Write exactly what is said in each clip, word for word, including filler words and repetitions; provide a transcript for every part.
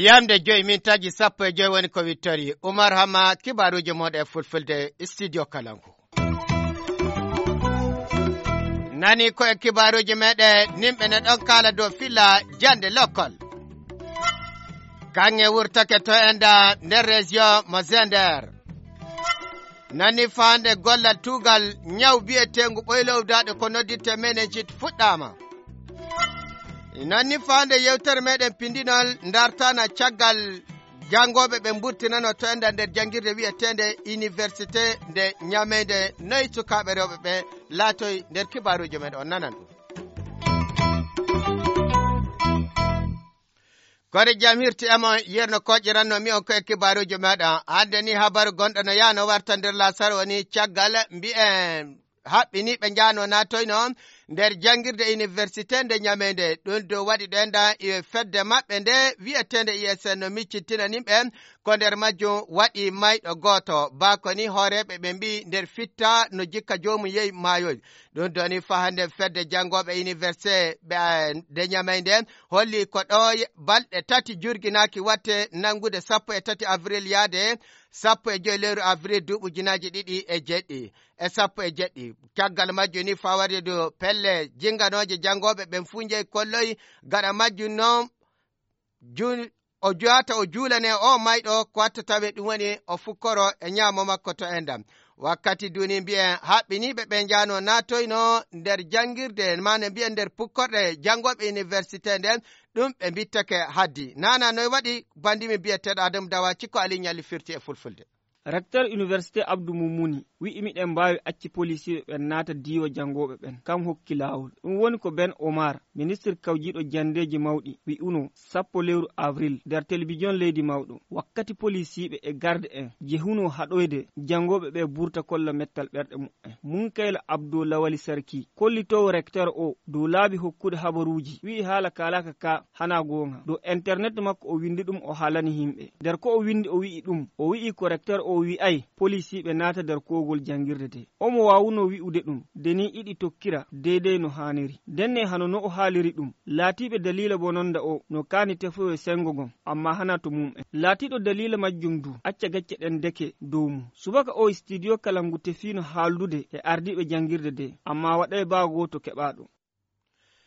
Yamde joyi min taji sappo e joyi woni ko wittori. Umar Hama, kibaaruuji mooɗon e fulfulde, studio Kalangu. Nani ko e kibaaruuji meɗen, nimɓe ne ɗon kaala dow filla jannde lokkol. Kaŋŋe wurtake to enda nder région mo Zender. Nani faande gollal tuugal ñaw biyeteengu ɓoylowdaaɗo ko noddirte meningite fuɗɗaama. Nani faande yewtere meɗen pindinol ndartana caggal janngooɓe ɓe mburtinano to enda nder janngirde wiyeteende université nde Ñameynde, noy sukaaɓe rewɓe ɓe laatoy nder kibaaruuji men on nanan ɗum. Kore jam hirti e mon yerno koƴiranno mi on ko e kibaaruuji meɗen. Hannde ni habaru gonɗo no yaano warta nder lasar woni caggal mbi'en haɓɓiniiɓe njaano naatoyno nder janngirde université nde Ñameynde. Ɗum dow waɗi ɗo enda e fedde maɓɓe nde wiyeteende I S N no miccitinani ɓe ko nder majjum waɗi mayɗo gooto. Baa ko ni hooreeɓe ɓe mbi'i nder fitta no jikka joomum yehi maayoy. Ɗum doni faa hannde fedde janngooɓe université ɓe, eh, nde Ñameynde holli ko ɗo ye-, balɗe tati jurginaaki watte nanngude sappo e tati avril yaade sappo e joyi lewru avril duuɓi ujunaaji ɗiɗi e jeɗɗi e sappo e jeɗɗi. Caggal majjum ni faa waɗde dow pelle jinnganooje janngooɓe ɓen fuu njehi kolloyi. Gaɗa majjum noon jun-, o juwata o juulane o mayɗo ko watta tawe ɗum woni o fukkoro e ñaamo makko to endam. Wakkati duni mbiyen haɓɓiniiɓe ɓe njaano naatoyno nder janngirde, maana mbiyen nder pukkorɗe janngooɓe université nden, ɗum ɓe mbittake haddi. Nana noy waɗi bandimi biyeteeɗo Adamu Dawa Cikko Ali Ñalli firti e fulfulde. Recteur Université Abdou Moumouni wi'i miɗen mbaawi acci polisiiɓe ɓen naata diiwa janngooɓe ɓen. Kam hokki laawol. Ɗum woni ko Ben Omar, ministre kawjiiɗo janndeeji mawɗi, wi'uno sappo lewru avril nder telebijon leydi mawɗo. Wakkati polisiiɓe e garde en jehuno haɗoyde janngooɓe ɓe burta kolla mettal ɓerɗe muɓɓen. Munkayla Abdou Lawali Sarki, kollitoowo recteur o dow laabi hokkude habaruuji, wi'i haala kaalaaka ka hana goonga. Dow internet makko o winndi ɗum o haalani yimɓe. Nder ko o winndi o wi'i ɗum, o wi'i ko recteur o wi'ay polisiiɓe naata nder koogol janngirde de. Omo waawuno wi'ude ɗum, de ni iɗi tokkira deydey no haaniri. Ndenne hano no o haaliri ɗum, laatiiɓe daliila bononda o no kaani tefoyo senngo ngon, amma hana to mum'en. Laatiiɗo daliila majjum du, acca gacce ɗen deke dow mum. Subaka o studio kala ngu tefiino haaldude e ardiiɓe janngirde de, amma waɗay baa gooto keɓaaɗo.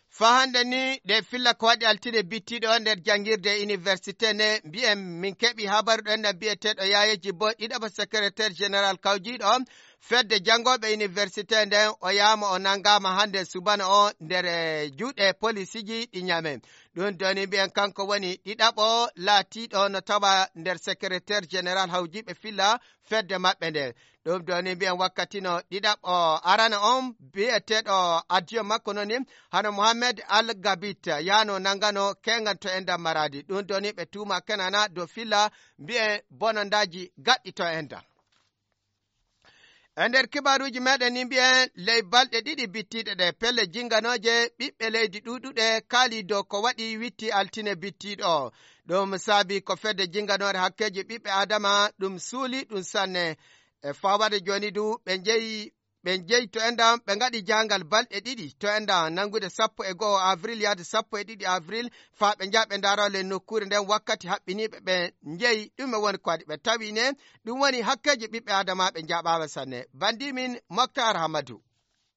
Faa hannde ni, ɗe filla ko waɗi altine bittiiɗo nder janngirde université ne, mbiyen min keɓi habaru ɗo enɗam biyeteeɗo Yaayeji Bo, ɗiɗaɓo secrétaire général kawjiiɗo fedde janngooɓe université nden, o yaama o nanngaama hannde subana o nder, eh, juuɗe polisiiji ɗi Ñaame. Ɗum doni mbiyen kanko woni ɗiɗaɓo laatiiɗo no tawa nder secrétaire général hawjiiɓe filla fedde maɓɓe nde. Ɗum ɗo ni mbiyen wakkati no ɗiɗaɓo arana on biyeteeɗo adjoint makko noni hano Mohamed Al Gabit yano nangano kengan to endan Maradi. Ɗum ɗo ni ɓe tuuma Kenana dow filla mbiyen bonondaaji gaɗɗi to endan. E nder kibaaruuji meɗen ni mbiyen ley balɗe ɗiɗi bittiiɗe ɗe pelle jinganooje ɓiɓɓe leydi ɗuuɗuɗe kaali dow ko waɗi witti altine bittiiɗo. Ɗum saabi ko fedde jinganoore hakkeeji ɓiɓɓe Adama ɗum suuli ɗum sanne. E fawade jooni du, ɓe njeyi, ɓe njeyi to enɗam, ɓe ngaɗi jaangal balɗe ɗiɗi to enɗam, nanngude sappo e go'o avril yaade sappo e ɗiɗi avril, faa ɓe njaha ɓe ndaaroo le nokkuure nden wakkati haɓɓiniiɓe ɓe njeyi ɗume woni ko waɗi. Ɓe tawi ne, ɗum woni hakkeeji ɓiɓɓe Adama ɓe njaɓaama sanne. Bandi min Moktar Hamadu.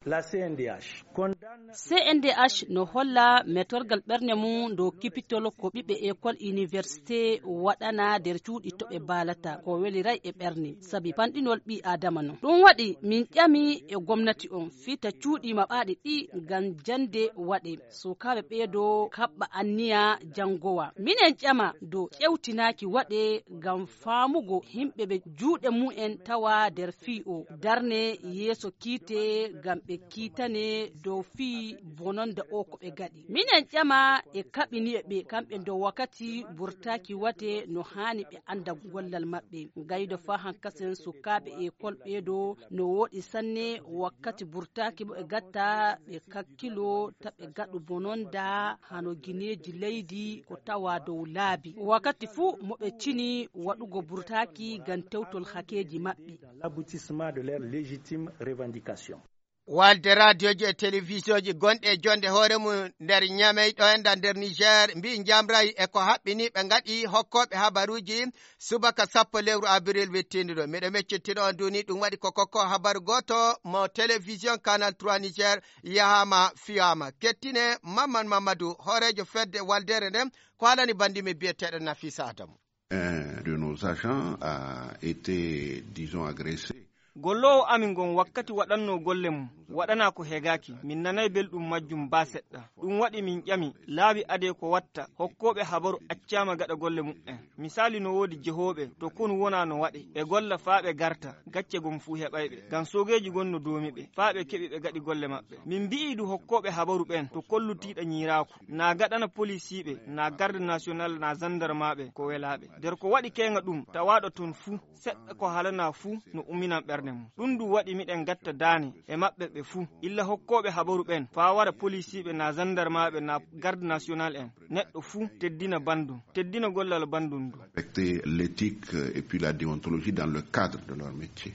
La C N D H condamne C N D H no holla metorgal ɓernde mum dow kipitol ko ɓiɓɓe école université waɗana nder cuuɗi to ɓe mbaalata ko weliray e ɓernde, sabi panɗinol ɓii Aadama non. Ɗum waɗi min ƴami e gomnati on fita cuuɗi maɓɓaaɗi ɗi ngam jannde waɗe, sukaaɓe ɓeedo kaɓɓa anniya janngowa. Minen ƴama dow ƴewtinaaki waɗe ngam faamugo yimɓe ɓe juuɗe mumen tawa nder fii o darne yeeso kiite ngam ɓe kiitane dow fii bononda o ko ɓe gaɗi. Minen ƴama e kaɓini e ɓe kamɓe ndo wakkati burtaaki wate no haani ɓe annda gollal maɓɓe. Gaydo faa hankasen sukaaɓe ekol ɓeedo no wooɗi sanne wakkati burtaaki mo ɓe gatta ɓe kakkilo ta ɓe gaɗu bononda hano gineeji leydi ko tawa dow laabi. Wakkati fuu mo ɓe cini waɗugo burtaaki ngam tewtol hakeeji maɓɓe. Dans l'aboutissement de leurs légitimes revendications. Walde raadiyoji e telewisiyoji gonɗi e jonde hoore mum nder Ñamey ɗo enda nder Niger mbi njamray e ko haɓɓini ɓe ngaɗi hokkooɓe habaruuji subaka sappo lewru abril wittiindu ɗo. Miɗo meccittino on duuni ɗum waɗi ko kokko habaru gooto mo télévision Canal trois Niger yahaama fiyaama. Kettine Mamman Mamadou, hooreejo fedde waldere nden, ko haalani bandimi biyeteeɗo Nafisa Adamu. Un de nos agents a été, disons, agressé. Golloowo amin ngon wakkati waɗannoo golle mum, waɗanaa ko hegaaki. Min nanay belɗum majjum baa seɗɗa. Ɗum waɗi min ƴami, laabi adee ko watta, hokkooɓe habaru accaama gaɗa golle muɓɓen. Misaali no woodi jehooɓe, to konu wonaa no waɗe. Ɓe golla faa ɓe garta, gacce gom fuu heɓay ɓe. Ngam soogeeji gon no doomi ɓe, faa ɓe keɓi ɓe gaɗi golle maɓɓe. Min mbi'ii du hokkooɓe habaru ɓen, to kollutiiɗo ñiiraaku. Na gaɗana polisiiɓe, na garde national, na zandarmaaɓe, ko welaaɓe. Nder ko waɗi keeŋa ɗum, tawaaɗo ton fuu, seɗɗa ko haalanaa fuu, no umminan ɓernde mum. Ɗum du waɗi miɗen gatta daane e maɓɓe ɓe fuu. Illa hokkooɓe habaru ɓen, faa wara polisiiɓe, na zandarmaaɓe, na garde national en. Neɗɗo fuu, teddina bandum, teddina gollal bandum ndu. Respecter l'éthique, euh, et puis la déontologie dans le cadre de leur métier.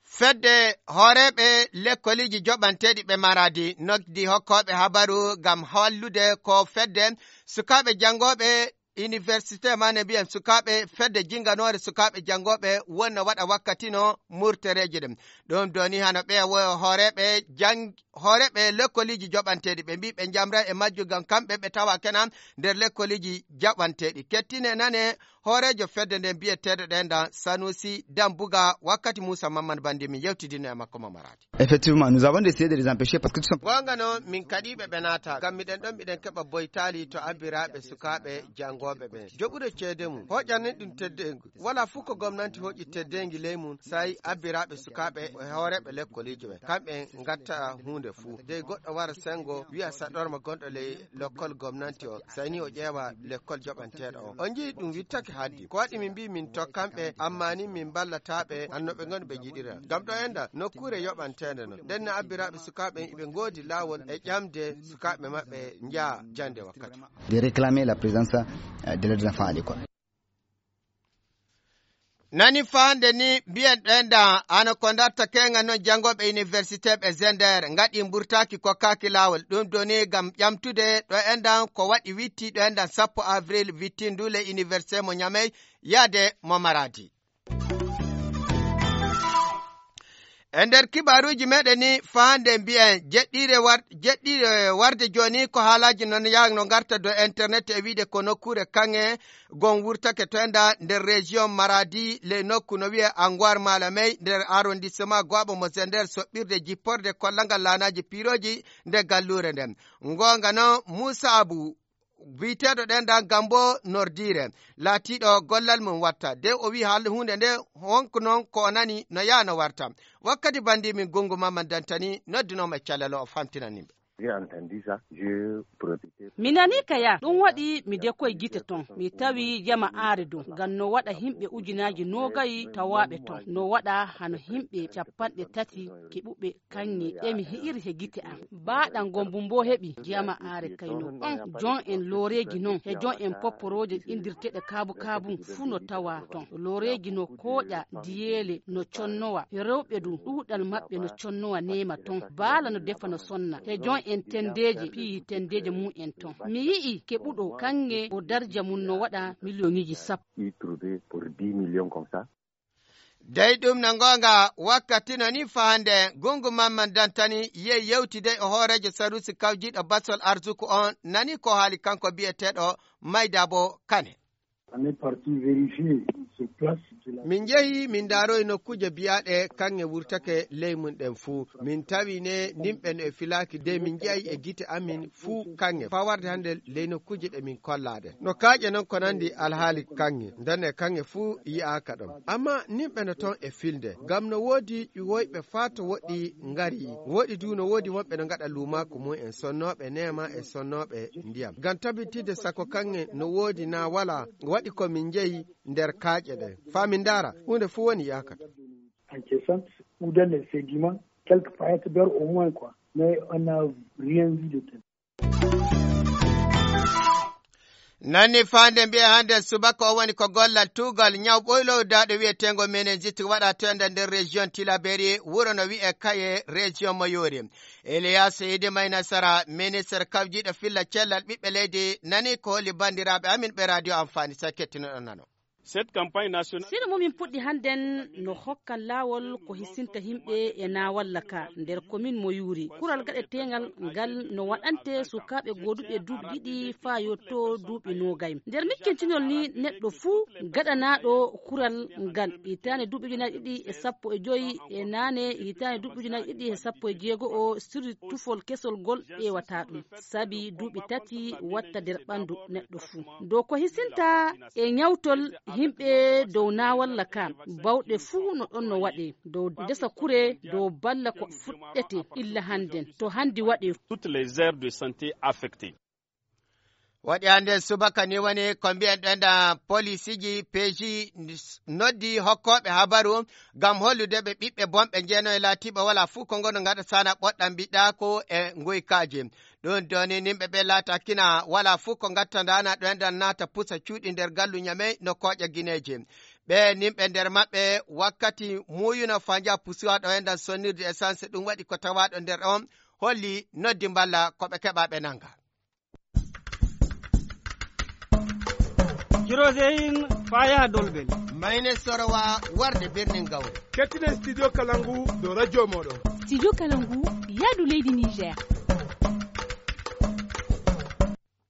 Fedde hooreeɓe lekkoliiji joɓanteeɗi ɓe Maradi noddi hokkooɓe habaru ngam hollude ko fedde sukaaɓe janngooɓe université maane mbiyen sukaaɓe fedde jinnganoore sukaaɓe janngooɓe wonno waɗa wakkati no murtereeji ɗen. Ɗum doni hano ɓe wo-, hooreeɓe jang-, hooreeɓe lekkoliiji joɓanteeɗi ɓe mbii ɓe njamra e majju ngam kamɓe ɓe tawa kenan nder lekkoliiji jaɓanteeɗi. Kettine nane hooreejo fedde nden biyeteeɗo ɗen dan Sanusi Dambuga wakkati Muusa Mamman Bandi min yewtidino e makko mo Maradi. Effectivement, nous avons essayé de les empêcher parce que tout simplement. Goonga non, min kaɗiiɓe ɓe naata, ngam miɗen ɗon miɗen keɓa boytaali to abbiraaɓe sukaaɓe janngooɓe ɓen. Joɓude ceede mum, hoƴanen ɗum teddeengu. Wala fuu ko gomnanti hoƴi teddeengi ley mum, sai abbiraaɓe sukaaɓe e hooreeɓe lekkoliijo ɓen. Kamɓe ngatta huunde fuu. Dey goɗɗo wara sengo, wi'a saɗorma gonɗo ley lekkol gomnanti on, sai ni o ƴeewa lekkol joɓanteeɗo on. On nji'i ɗum wittake haddi. Ko waɗi min mbii min tokkan ɓe, amma ni min mballataa ɓe, anno ɓe ngoni ɓe njiɗira. Ngam ɗo enda nokkuure yoɓanteende non. Nden no abbiraaɓe sukaaɓe iɓe ngoodi laawol e ƴamde sukaaɓe maɓɓe njaha jannde wakkati. De réclamer la présence, euh, de l'aide d'enfants à l'école. Nani faande ni mbiyen ɗo enda ano ko ndatta keŋa non janngooɓe université ɓe Zender ngaɗi mburtaaki ko kaaki laawol. Ɗum doni ngam ƴamtude ɗo endan ko waɗi witti ɗo endan sappo avril wittindu le université mo Ñamey yaade mo Maradi. E nder kibaaruuji meɗen ni faande mbiyen jeɗɗiire war-, jeɗɗiire warde jooni ko haalaaji non yaha no ngarta do internet e wiide ko nokkuure kaŋŋe gon wurtake to enda nder région Maradi le nokku no wiye Angoir Malamey nder arrondissement Goabo mo Zender soɓɓirde jipporde kollangal laanaaji piirooji nde galluure nden. Ngoonga non Muusa Abu biyeteeɗo ɗen dan Gambo Nordiire, laatiiɗo gollal mum watta. De o wi'i hal huunde nde honko non ko o nani no yaha no warta. Wakkati bandi min gungu mamman dantani noddinoma e calal o famtinani ɓe. J'ai entendu ça, je protestais. Mi nanii ka yaa, ɗum waɗi mi dekoy gite ton. Mi tawi jama aare dow, ngam no waɗa himɓe ujunaaji noogayi tawaaɓe ton. No waɗa hano himɓe capanɗe tati keɓuɓe kaŋŋe. Emi hi'iri he gite am. Baaɗan gombu mbo heɓi jama aare kayno. On jon en looreeji non, he jon en popporooje indirteeɗe kaabu kaabu fuu no tawa ton. Looreeji no kooƴa diyeele no connowa. Rewɓe du ɗuuɗal maɓɓe no connowa neema ton. Baala no defa no sonna. He jon en tendeeje piyi tendeeje mum en ton. Mi yi'i keɓuɗo kaŋŋe o darja mum no waɗa miliyoŋiji sappo. Y trouver pour dix millions comme ça. Dey ɗum no ngoonga wakkati no ni faande gungu mamman dantani ye yewtide e hooreejo sarusi kawjiiɗo basol arsuku on nani ko haali kanko biyeteeɗo Maydabo Kane. On est parti vérifier sur place. Min njehi, min ndaaroyi nokkuuje biyaaɗe kaŋŋe wurtake ley mum ɗen fuu. Min tawi ne nimɓe no e filaaki de min njehi e gite amin fuu kaŋŋe. Faa warde hannde ley nokkuuje ɗe min kollaaɗe. No kaaƴe non ko nanndi alhaali kaŋŋe. Ndenne kaŋŋe fuu yi'aaka ɗon. Amma nimɓe no ton e filde. Ngam no woodi ƴuwoyɓe faa to woɗɗi ngari. Woɗɗi du no woodi wonɓe no ngaɗa luumaaku mum en sonnooɓe neema e sonnooɓe ndiyam. Ngam tabitidde sako kaŋŋe no woodi naa walaa, waɗi ko min njehi nder kaaƴe ɗe. Faa min ndaara, huunde fuu woni yaakata. En caissant ou dans les sédiments, quelques paillettes d'or au moins, quoi. Mais on n'a rien vu de tel. Nani faande mbiye hannde subaka o woni ko gollal tuugal ñaw ɓoylowdaaɗo wiyeteengo meningite waɗa to enda nder région Tilaberi, wuro no wi'e Kaye, région Mayoori. Elias Idi May Nasara, ministre kawjiiɗo filla cellal ɓiɓɓe leydi, nani ko holi banndiraaɓe amin ɓe radio Amfani, sa kettinoɗon nano. Cette campagne nationale. Sino mo min puɗɗi hannden no hokkan laawol ko hisinta yimɓe e naawalla ka nder komin mo yuuri. Kural gaɗeteengal ngal no waɗante sukaaɓe gooduɓe duuɓi ɗiɗi faa yotto duuɓi noogay. Nder mikkintinol ni neɗɗo fuu gaɗanaaɗo kural ngal hitaande duuɓi ujunaaji ɗiɗi e sappo e joy e naane hitaande duuɓi ujunaaji ɗiɗi e sappo e jeego o sirri tufol kesol gol ƴeewata ɗum. Sabi duuɓi tati watta nder ɓanndu neɗɗo fuu. Dow ko hisinta e ñawtol yimɓe dow naawalla ka, bawɗe fuu no ɗon no waɗee. Dow ndesa kure, dow balla ko fuɗɗete illa hannden. To hanndi waɗee. Toutes les aires de santé affectées. Waɗi hannde subaka ni woni ko mbiyen ɗen da polisiiji peeji noddi hokkooɓe habaru ngam hollude ɓe ɓiɓɓe bonɓe njeeno e laatiiɓe walaa fuu ko ngono ngaɗa sana ɓoɗɗam mbiɗɗa ko e ngoykaaji. Ɗum doni nimɓe ɓe laata kina walaa fuu ko ngatta ndaana ɗo enɗan naata pusa cuuɗi nder gallu ñamey no kooƴa gineeji. Ɓe nimɓe nder maɓɓe wakkati muuyuno faa njaha pusuwa ɗo enɗan sonnirde essence ɗum waɗi ko tawaaɗo nder on holli noddi mballa ko ɓe keɓa ɓe nanga. Jiroseyin faa yaha Dolbel. Mayne Sorowa warde birnin Gawri. Kettinen Studio Kalangu dow radio mooɗon. Studio Kalangu, yaadu leydi Niger.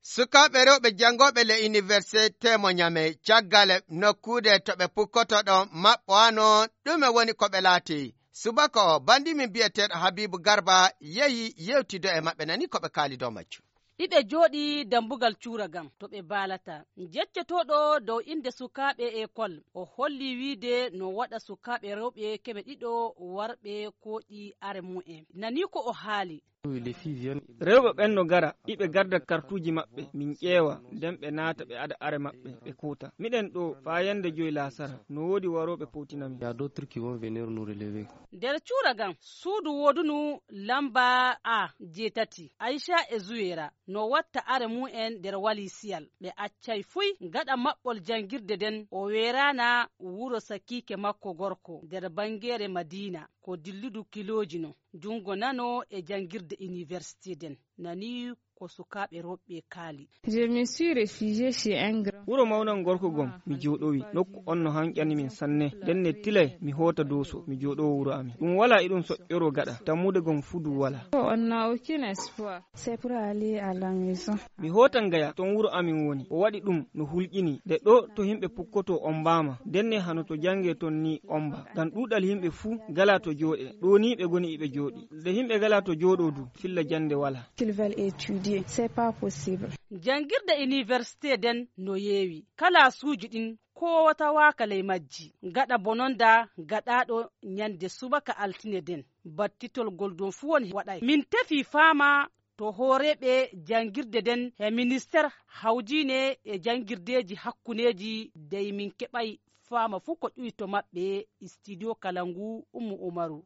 Sukaaɓe rewɓe janngooɓe le université mo Ñamey, caggal nokkuure to ɓe pukkoto ɗon maɓɓowaano, ɗume woni ko ɓe laati? Subaka o, banndi min biyeteeɗo Habiibu Garba yehi yewtido e maɓɓe, nani ko ɓe kaali dow majjum. Iɓe jooɗii dambugal cuura gam to ɓe baalata. Jeccotooɗo dow innde sukaaɓe ekol, o holli wiide no waɗa sukaaɓe rewɓe keme ɗiɗo warɓe kooƴi are mumen. Nani ko o haali. Rewɓe ɓen no gara, iɓe garda kartuuji maɓɓe, min ƴeewa, nden ɓe naata ɓe ada are maɓɓe, ɓe kuuta. Miɗen ɗo faa yande joy laasara, no woodi warooɓe powtina min. Il y a d'autres qui vont venir nous relever. Nder cuura gam, suudu woodunu lamba A jeetati, Ayca e Zuweera, no watta are mumen nder walisiyal. Ɓe accay fuy gaɗa maɓɓol janngirde nden, o weeraana wuro sakiike makko gorko nder banngeere Madiina, ko dilludu kilooji no, junngo nano e janngirde iniwersite nden. Nani ko sukaaɓe rewɓe kaali. Je me suis réfugié chez un grand. Wuro mawnan gorko gom, mi jooɗowi. Nokku on no hanƴani min sanne. Nden ne tilay, mi hoota Dooso, mi jooɗowo wuro amin. Ɗum walaa e ɗum soƴƴoroo gaɗa. Tammude gom fudu walaa. On n'a aucun espoir. C'est pour aller à la maison. Mi hootan Gaya, ton wuro amin woni. O waɗi ɗum no hulƴini. Nde ɗo to yimɓe pukkotoo ombaama. Nden ne hano to jannge ton ni omba. Ngam ɗuuɗal yimɓe fuu galaa to jooɗe. Ɗo ni ɓe goni iɓe jooɗi. Nde yimɓe galaa to jooɗoo du, filla jannde walaa. Qu'ils veulent étudier, c'est pas possible. Janngirde iniwersite nden no yeewi. Kalaasuuji ɗin kowatawaaka ley majji. Gaɗa bononda gaɗaaɗo ñande subaka altine nden. Battitol gol ɗon fuu woni waɗay. Min tefi faama to hooreeɓe janngirde nden e ministeer hawjiine e janngirdeeji hakkuneeji dey min keɓay faama fuu ko ƴuwi to maɓɓe. Studio Kalangu, Ummu Umaru.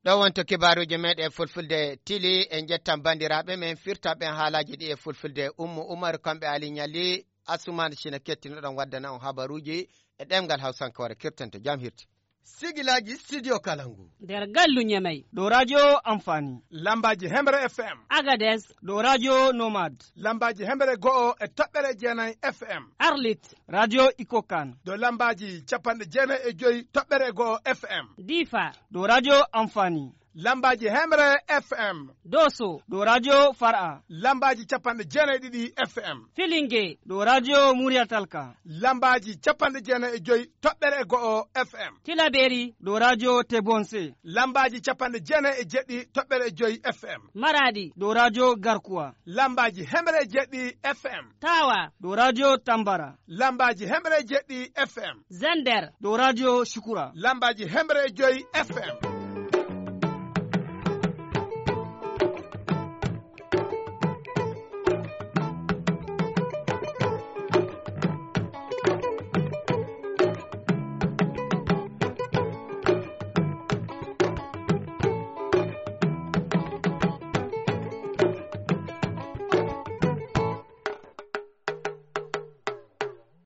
Ɗo wonto kibaaruuji meeɗen fulfulde tili, en njettan banndiraaɓe men firtaaɓe en haalaaji ɗi e fulfulde. Ummu Umaru, kamɓe Ali Ñalli, Asumaan Sina kettinoɗon waddana on habaruuji e ɗemngal Hawsankoore, kirtanto jam hirti. Sigilaaji Studio Kalangu. Nder gallu Ñamey. Ɗo radio Amfani. Lambaaji Hemre F M. Agades. Ɗo radio Nomad. Lambaaji Hemre go'o e toɓɓere jeenay F M. Arlit. Radio Ikokan. Ɗo lambaaji capanɗe jeenay e joy toɓɓere go'o F M. Difa. Ɗo radio Amfani. Lambaaji Hemre F M. Doso, ɗo Radio Far'a. Lambaaji capanɗe jeenayi e ɗiɗi F M. Filinge, ɗo Radio Murya Talka. Lambaaji capanɗe jeenayi e joyi toɓɓere e go'o F M. Tilaberi, ɗo Radio Tebonse. Lambaaji capanɗe jeenayi e jeɗɗi toɓɓere e joyi F M. Maradi, ɗo Radio Garkuwa. Lambaaji hemre e jeɗɗi F M. Tawa, ɗo Radio Tambara. Lambaaji hemre e jeɗɗi F M. Zender, ɗo Radio Shukura. Lambaaji hemre e joyi F M.